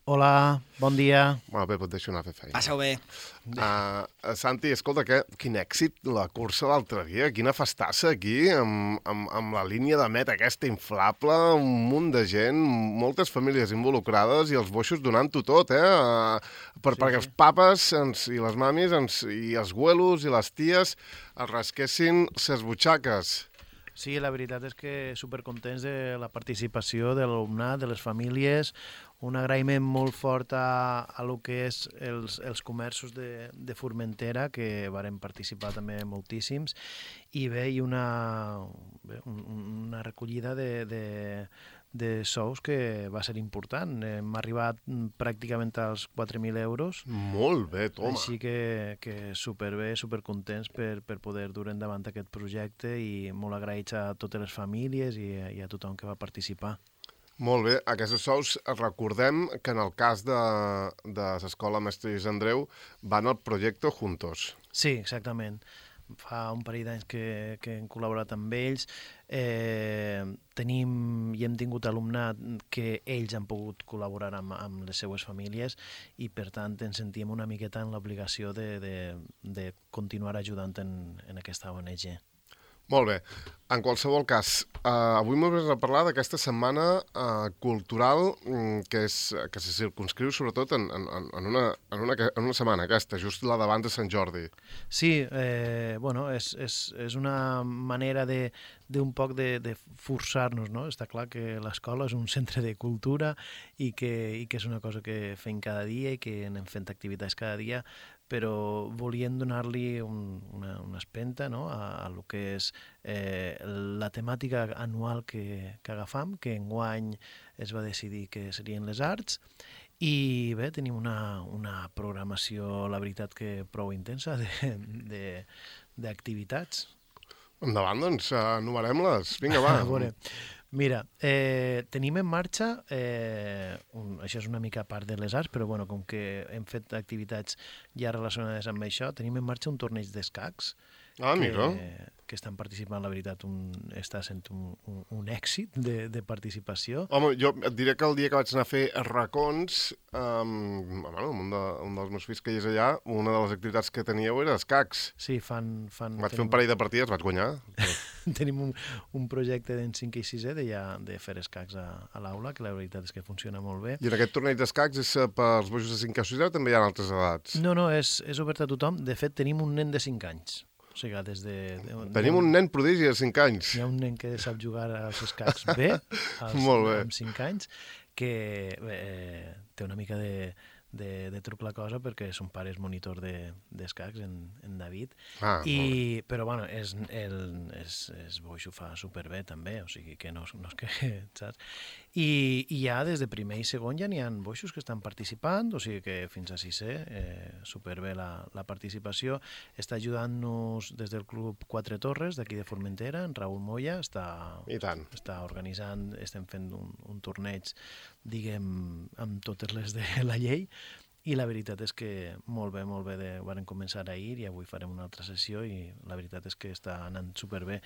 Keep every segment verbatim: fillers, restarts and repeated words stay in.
Hola, bon dia. Bueno, bé, et deixo anar a fer feina. Passeu bé. Uh, Santi, escolta, que, quin èxit la cursa l'altre dia, quina festassa aquí, amb, amb, amb la línia de meta aquesta inflable, un munt de gent, moltes famílies involucrades i els boixos donant-ho tot, eh? Uh, per, sí, perquè sí. els papes ens, i les mamis ens, i els güelos i les ties es rasquessin ses butxaques. Sí, la veritat és que supercontents de la participació de l'alumnat, de les famílies, un agraïment molt fort a, a lo que és els, els comerços de, de Formentera, que varen participar també moltíssims, i bé, i una, bé, una recollida de, de, de sous que va ser important. Hem arribat pràcticament als quatre mil euros. Molt bé, toma. Així que, que superbé, supercontents per, per poder dur endavant aquest projecte i molt agraïts a totes les famílies i, i a tothom que va participar. Molt bé, aquests sous, recordem que en el cas de, de l'Escola Mestre Lluís Andreu van al projecte Juntos. Sí, exactament. Fa un parell d'anys que, que hem col·laborat amb ells. Eh, tenim i hem tingut alumnat que ells han pogut col·laborar amb, amb les seues famílies i, per tant, ens sentim una miqueta en l'obligació de, de, de continuar ajudant en, en aquesta O N G. Molt bé. En qualsevol cas, eh, avui m'hauràs de parlar d'aquesta setmana eh, cultural mm, que, és, que se circunscriu sobretot en, en, en, una, en, una, en una setmana aquesta, just la d'abans de Sant Jordi. Sí, eh, bueno, és, és, és una manera de d'un poc de, de forçar-nos, no? Està clar que l'escola és un centre de cultura i que, i que és una cosa que fem cada dia i que anem fent activitats cada dia, però volien donar-li un, una, una espenta, no? a, a lo que és eh, la temàtica anual que, que agafam, que enguany es va decidir que serien les arts, i bé, tenim una, una programació, la veritat, que prou intensa d'activitats. Endavant, doncs, enumerem-les. Vinga, va. A veure, mira, eh, tenim en marxa, eh, un, això és una mica a part de les arts, però bueno, com que hem fet activitats ja relacionades amb això, tenim en marxa un torneig d'escacs, Ah, mira. que, que estan participant, la veritat, un, està sent un, un, un èxit de, de participació. Home, jo et diré que el dia que vaig anar a fer racons, um, bueno, un, de, un dels meus fills que hi és allà, una de les activitats que teníeu era escacs. Sí, fan... fan Vaig tenim, fer un parell de partides, vaig guanyar. tenim un, un projecte d'en cinquè i sisè de, ja, de fer escacs a, a l'aula, que la veritat és que funciona molt bé. I en aquest torneig d'escacs és per als bojos de cinquè o sisè o també hi ha altres edats? No, no, és, és obert a tothom. De fet, tenim un nen de cinc anys. O sigui, des de... de Tenim un nen prodigi de cinc anys. Hi ha un nen que sap jugar als escacs bé, als, Molt bé. amb cinc anys, que eh, té una mica de, de, de truc la cosa perquè son pare és monitor d'escacs, de, en, en David. Ah, I, però, bueno, és, el, és, és boix, ho fa superbé també, o sigui que no, no és que... Saps? I, I ja des de primer i segon ja n'hi ha boixos que estan participant, o sigui que fins a sisè eh, superbé la, la participació. Està ajudant-nos des del Club Quatre Torres, d'aquí de Formentera, en Raül Moya, està, I tant. està organitzant, estem fent un, un torneig, diguem, amb totes les de la llei, i la veritat és que molt bé, molt bé, de, varen començar ahir i avui farem una altra sessió i la veritat és que està anant superbé.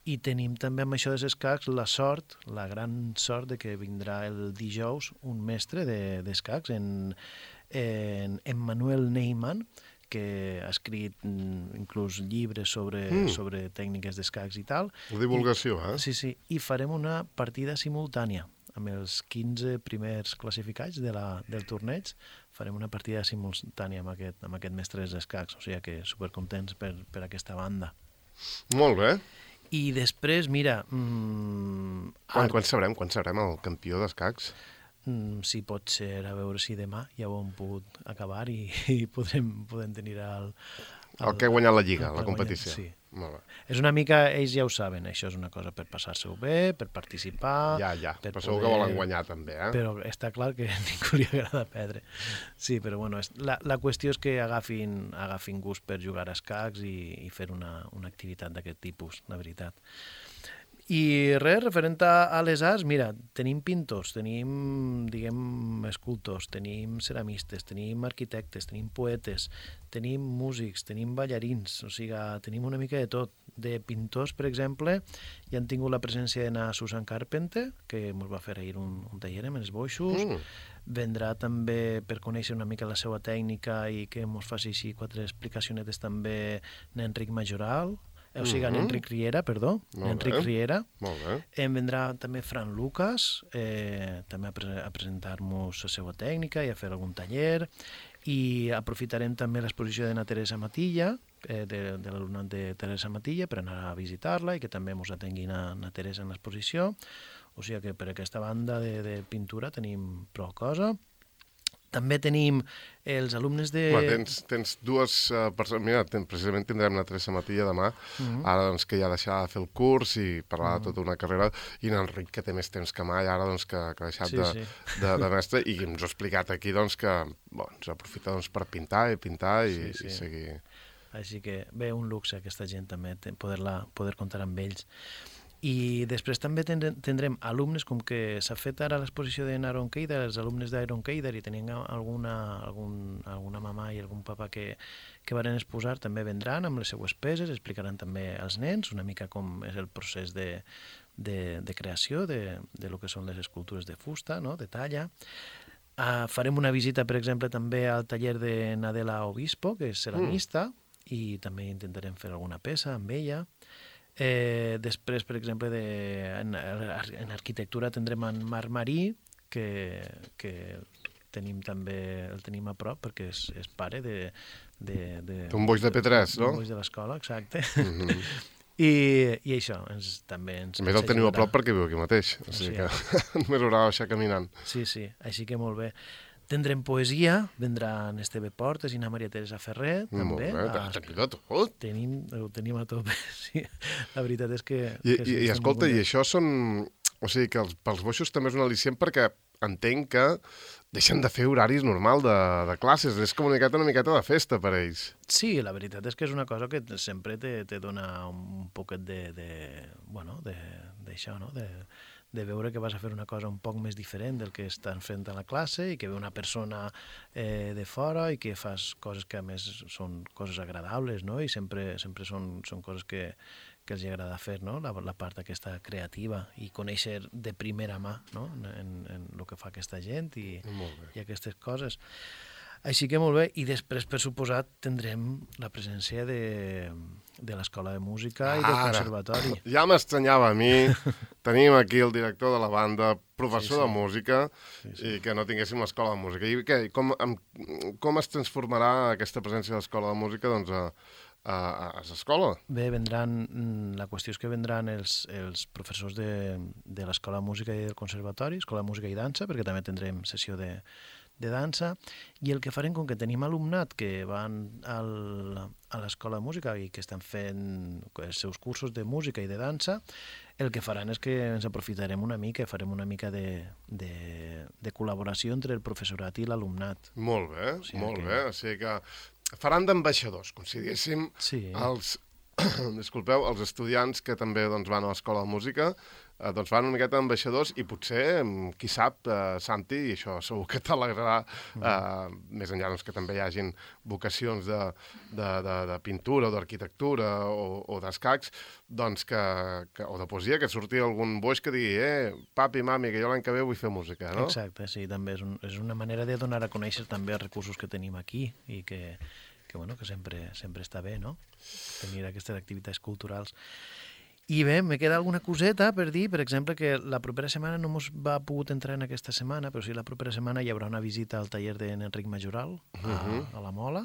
I tenim també amb això dels escacs la sort, la gran sort de que vindrà el dijous un mestre d'escacs, de, en, en, en Manuel Neyman, que ha escrit inclús llibres sobre, mm. sobre tècniques d'escacs i tal. La divulgació, I, eh? Sí, sí, i farem una partida simultània amb els quinze primers classificats de la, del torneig. Farem una partida simultània amb aquest, amb aquest mestre d'escacs, o sigui que supercontents per, per aquesta banda. Molt bé. I després, mira... Mmm, quan, quan sabrem quan sabrem el campió d'escacs? Mm, sí, pot ser, a veure si demà ja ho hem pogut acabar i, i podrem, podem tenir el... El, el que ha guanyat la Lliga, la competició. Sí. Molt bé. És una mica, ells ja ho saben, això és una cosa per passar-se-ho bé, per participar... Ja, ja, per però segur poder... que volen guanyar també, eh? Però està clar que a ningú li agrada perdre. Sí, però bueno, la, la qüestió és que agafin, agafin gust per jugar a escacs i, i fer una, una activitat d'aquest tipus, la veritat. I res, referent a, a les arts, mira, tenim pintors, tenim, diguem, escultors, tenim ceramistes, tenim arquitectes, tenim poetes, tenim músics, tenim ballarins, o sigui, tenim una mica de tot. De pintors, per exemple, ja han tingut la presència de Susan Carpenter, que ens va fer ahir un, un taller amb els boixos. Mm. Vendrà també per conèixer una mica la seva tècnica i que ens faci així quatre explicacionetes també n'Enric Majoral, o sigui, mm -hmm. n'Enric Riera, perdó, n'Enric Riera. Molt bé. Em vendrà també Fran Lucas, eh, també a, pre a presentar-nos la seva tècnica i a fer algun taller, i aprofitarem també l'exposició de na Teresa Matilla, eh, de, de l'alumnat de Teresa Matilla, per anar a visitar-la i que també ens atengui na, na Teresa en l'exposició. O sigui que per aquesta banda de, de pintura tenim prou cosa. També tenim els alumnes de... Home, tens, tens dues uh, persones... Mira, ten, precisament tindrem la Teresa Matilla demà, uh -huh. ara doncs, que ja deixarà de fer el curs i parlar uh -huh. de tota una carrera, i l'Enric, que té més temps que mai, ara doncs, que, que ha deixat sí, de, sí. De, de mestre, i ens ha explicat aquí doncs, que bon, ens aprofita doncs, per pintar i pintar i, sí, sí. i seguir... Així que bé, un luxe aquesta gent també, poder-la poder comptar amb ells. I després també tindrem alumnes, com que s'ha fet ara l'exposició d'Iron Keider, els alumnes d'Iron Keider, i tenien alguna, algun, alguna mamà i algun papa que, que van exposar, també vendran amb les seues peces, explicaran també als nens una mica com és el procés de, de, de creació de, de lo que són les escultures de fusta, no?, de talla. Uh, farem una visita, per exemple, també al taller de Nadela Obispo, que és ceramista, mm. i també intentarem fer alguna peça amb ella. Eh, després, per exemple, de, en, en arquitectura tindrem en Marc Marí, que, que tenim també, el tenim a prop perquè és, és pare de... de, de un boix de P tres, no? Un boix de l'escola, exacte. Mm -hmm. I, I això, ens, també ens... A més el tenim a prop perquè viu aquí mateix, o sigui sí, que només haurà de baixar caminant. Sí, sí, així que molt bé. Tindrem poesia, vendran Esteve Portes i na Maria Teresa Ferrer, també. Molt bé, tenim de tot. Tenim, ho tenim a tope, sí. La veritat és que... I, que i, i escolta, i això són... O sigui, que els, pels boixos també és un al·licient perquè entenc que deixen de fer horaris normal de, de classes. És com una miqueta, una miqueta de festa per ells. Sí, la veritat és que és una cosa que sempre te, te dona un poquet de... de bueno, d'això, no?, de... de veure que vas a fer una cosa un poc més diferent del que estan fent a la classe i que ve una persona eh, de fora i que fas coses que a més són coses agradables, no? I sempre, sempre són, són coses que, que els agrada fer, no? La, la part aquesta creativa i conèixer de primera mà, no?, en, en el que fa aquesta gent i, i aquestes coses. Així que molt bé, i després, per suposat, tindrem la presència de, de l'Escola de Música i del Conservatori. Ja m'estranyava a mi, tenim aquí el director de la banda, professor sí, sí. de música, sí, sí. i que no tinguéssim l'Escola de Música. I què, com, amb, com es transformarà aquesta presència de l'Escola de Música doncs, a, a, a l'escola? Bé, vendran, la qüestió és que vendran els, els professors de, de l'Escola de Música i del Conservatori, Escola de Música i Dansa, perquè també tindrem sessió de de dansa, i el que farem, com que tenim alumnat que van al, a l'Escola de Música i que estan fent els seus cursos de música i de dansa, el que faran és que ens aprofitarem una mica, farem una mica de, de, de col·laboració entre el professorat i l'alumnat. Molt bé, o sigui molt que... bé. O sigui que faran d'ambaixadors, com si diguéssim, sí. els, disculpeu, els estudiants que també doncs, van a l'Escola de Música, eh, doncs van una miqueta d'ambaixadors i potser, qui sap, eh, Santi, i això segur que t'alegrarà, eh, mm. més enllà doncs, que també hi hagin vocacions de, de, de, de pintura o d'arquitectura o, o d'escacs, doncs que, que, o de poesia, que surti algun boix que digui eh, papi, mami, que jo l'any que ve vull fer música, no? Exacte, sí, també és, un, és una manera de donar a conèixer també els recursos que tenim aquí i que que, bueno, que sempre, sempre està bé, no?, tenir aquestes activitats culturals. I bé, me queda alguna coseta per dir, per exemple, que la propera setmana no ens va pogut entrar en aquesta setmana, però sí la propera setmana hi haurà una visita al taller d'Enric Majoral a, uh-huh. a la Mola,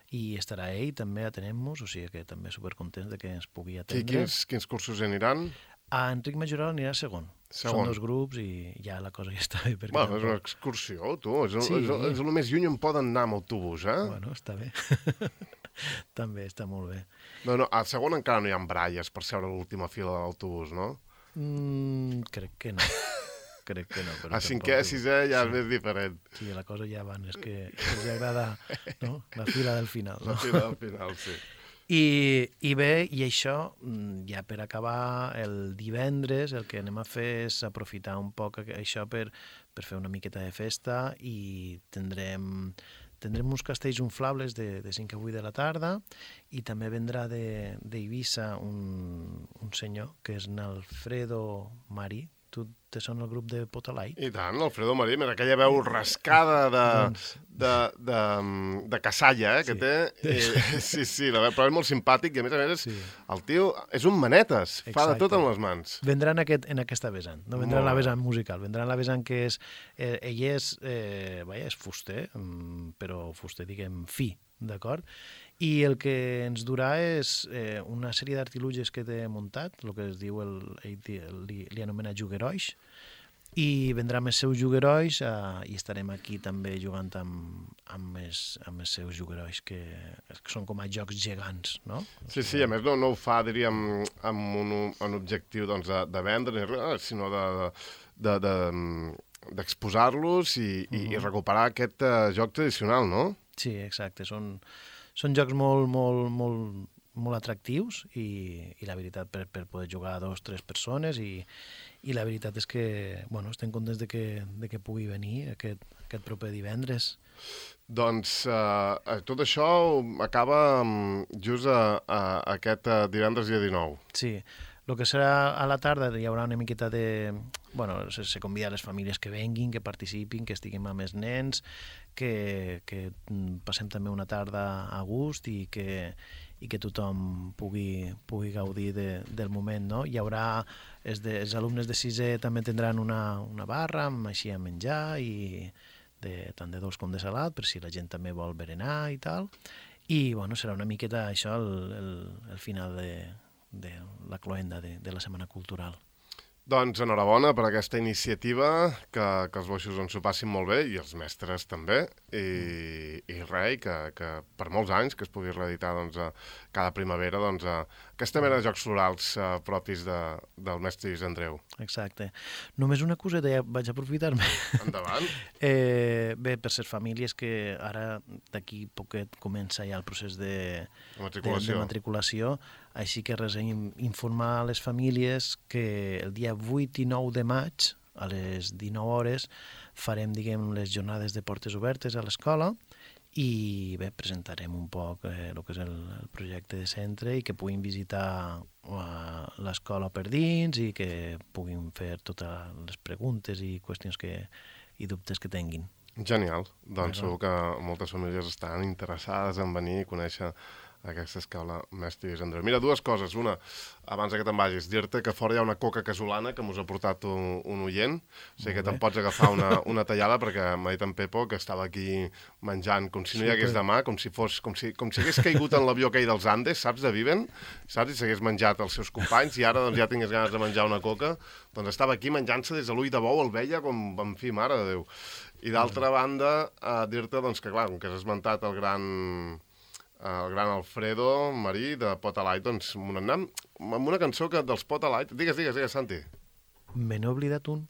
i estarà ell també atenent-nos, o sigui que també supercontents de que ens pugui atendre. I quins, quins cursos aniran? A Enric Majoral anirà segon. Segon. Són dos grups i ja la cosa ja està bé. Bueno, és una excursió, tu. És, sí. és, és el més lluny on poden anar amb autobús, eh? Bueno, està bé. També està molt bé. No, no, a segon encara no hi ha bralles per seure a l'última fila de l'autobús, no? Mm, crec que no. Crec que no. Però a cinquè, a sisè ja sí. és més diferent. Sí, la cosa ja van, és que els agrada, no?, la fila del final. No? La fila del final, sí. I, i bé, i això, ja per acabar, el divendres el que anem a fer és aprofitar un poc això per, per fer una miqueta de festa i tindrem, tindrem uns castells inflables de, de cinc a vuit de la tarda i també vendrà d'Eivissa un, un senyor que és n'Alfredo Marí. Tu te sona el grup de Potalight? I tant, Alfredo Marí, mira aquella veu rascada de, doncs... de, de, de cassalla, eh, que sí. té. I, sí, sí, la veu, però és molt simpàtic i a més a més és, sí. el tio és un manetes, Exacte. fa de tot amb les mans. Vendrà en, aquest, en aquesta vessant, no vendrà en la vessant musical, vendrà en la vessant que és, eh, ell és, eh, vaja, és fuster, però fuster, diguem, fi, d'acord? I el que ens durà és eh, una sèrie d'artiluges que té muntat, el que es diu, el, el, li, li anomena jugueroix, i vendrà amb els seus jugueroix eh, i estarem aquí també jugant amb, amb, els, amb els seus jugueroix, que, que són com a jocs gegants, no? Sí, sí, a més no, no ho fa, diríem, amb un, un objectiu doncs, de, de vendre, sinó de... de, de, de d'exposar-los i, uh-huh. i, i recuperar aquest uh, joc tradicional, no? Sí, exacte. Són, són jocs molt, molt, molt, molt atractius i, i la veritat per, per poder jugar a dos o tres persones i, i la veritat és que bueno, estem contents de que, de que pugui venir aquest, aquest proper divendres. Doncs uh, tot això acaba um, just a, a, a aquest uh, divendres dia dinou. Sí, el que serà a la tarda hi haurà una miqueta de... Bueno, se, se convida a les famílies que venguin, que participin, que estiguin amb els nens, que, que passem també una tarda a gust i que, i que tothom pugui, pugui gaudir de, del moment, no? Hi haurà... Els, de, els alumnes de sisè també tindran una, una barra amb així a menjar i de, tant de dolç com de salat, per si la gent també vol berenar i tal. I, bueno, serà una miqueta això el, el, el final de... de la cloenda de, de la Setmana Cultural. Doncs enhorabona per aquesta iniciativa, que, que els boixos ens ho passin molt bé, i els mestres també, i, i res, que, que per molts anys que es pugui reeditar doncs, a, cada primavera doncs, a, aquesta mena de jocs florals a, propis de, del mestre Lluís Andreu. Exacte. Només una coseta, ja vaig aprofitar-me. Endavant. eh, bé, per ser famílies que ara d'aquí poquet comença ja el procés de, matriculació. de, de matriculació, així que res, informar a les famílies que el dia vuit i nou de maig, a les dinou hores, farem, diguem, les jornades de portes obertes a l'escola i bé, presentarem un poc eh, el que és el, el projecte de centre i que puguin visitar uh, l'escola per dins i que puguin fer totes les preguntes i qüestions que, i dubtes que tinguin. Genial. Doncs segur que moltes famílies estan interessades en venir i conèixer aquesta escola mestre Lluís Andreu. Mira, dues coses. Una, abans que te'n vagis, dir-te que fora hi ha una coca casolana que mos ha portat un, un oient. O sigui que te'n pots agafar una, una tallada perquè m'ha dit en Pepo que estava aquí menjant com si no hi hagués demà, com si fos com si, com si hagués caigut en l'avió aquell dels Andes, saps, de Viven, saps? I s'hagués menjat els seus companys i ara doncs, ja tingués ganes de menjar una coca. Doncs estava aquí menjant-se des de l'ull de bou, el veia com, en fi, mare de Déu. I d'altra banda, eh, dir-te doncs, que, clar, com que has esmentat el gran... el gran Alfredo Marí de Potalight, doncs anem amb una cançó que dels Potalight... Digues, digues, digues, Santi. Me n'he oblidat un,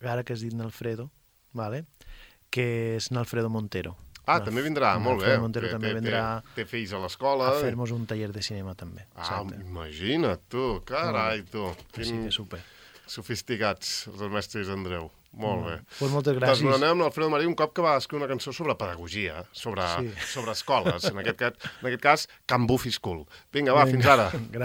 ara que has dit n'Alfredo, vale? Que és n'Alfredo Montero. Ah, també vindrà, molt bé. Montero té, també té, vindrà té fills a l'escola. A fer-nos un taller de cinema també. Ah, exacte. Imagina't, tu, carai, tu. Quin... Sí, que super. Sofisticats, els mestres Andreu. Molt bé. Pues moltes gràcies. Doncs anem amb l'Alfredo Marí un cop que va escriure una cançó sobre pedagogia, sobre, sí. sobre escoles, en aquest cas, en aquest cas Can Buffy School. Vinga, va, Vinga. Fins ara. Gràcies.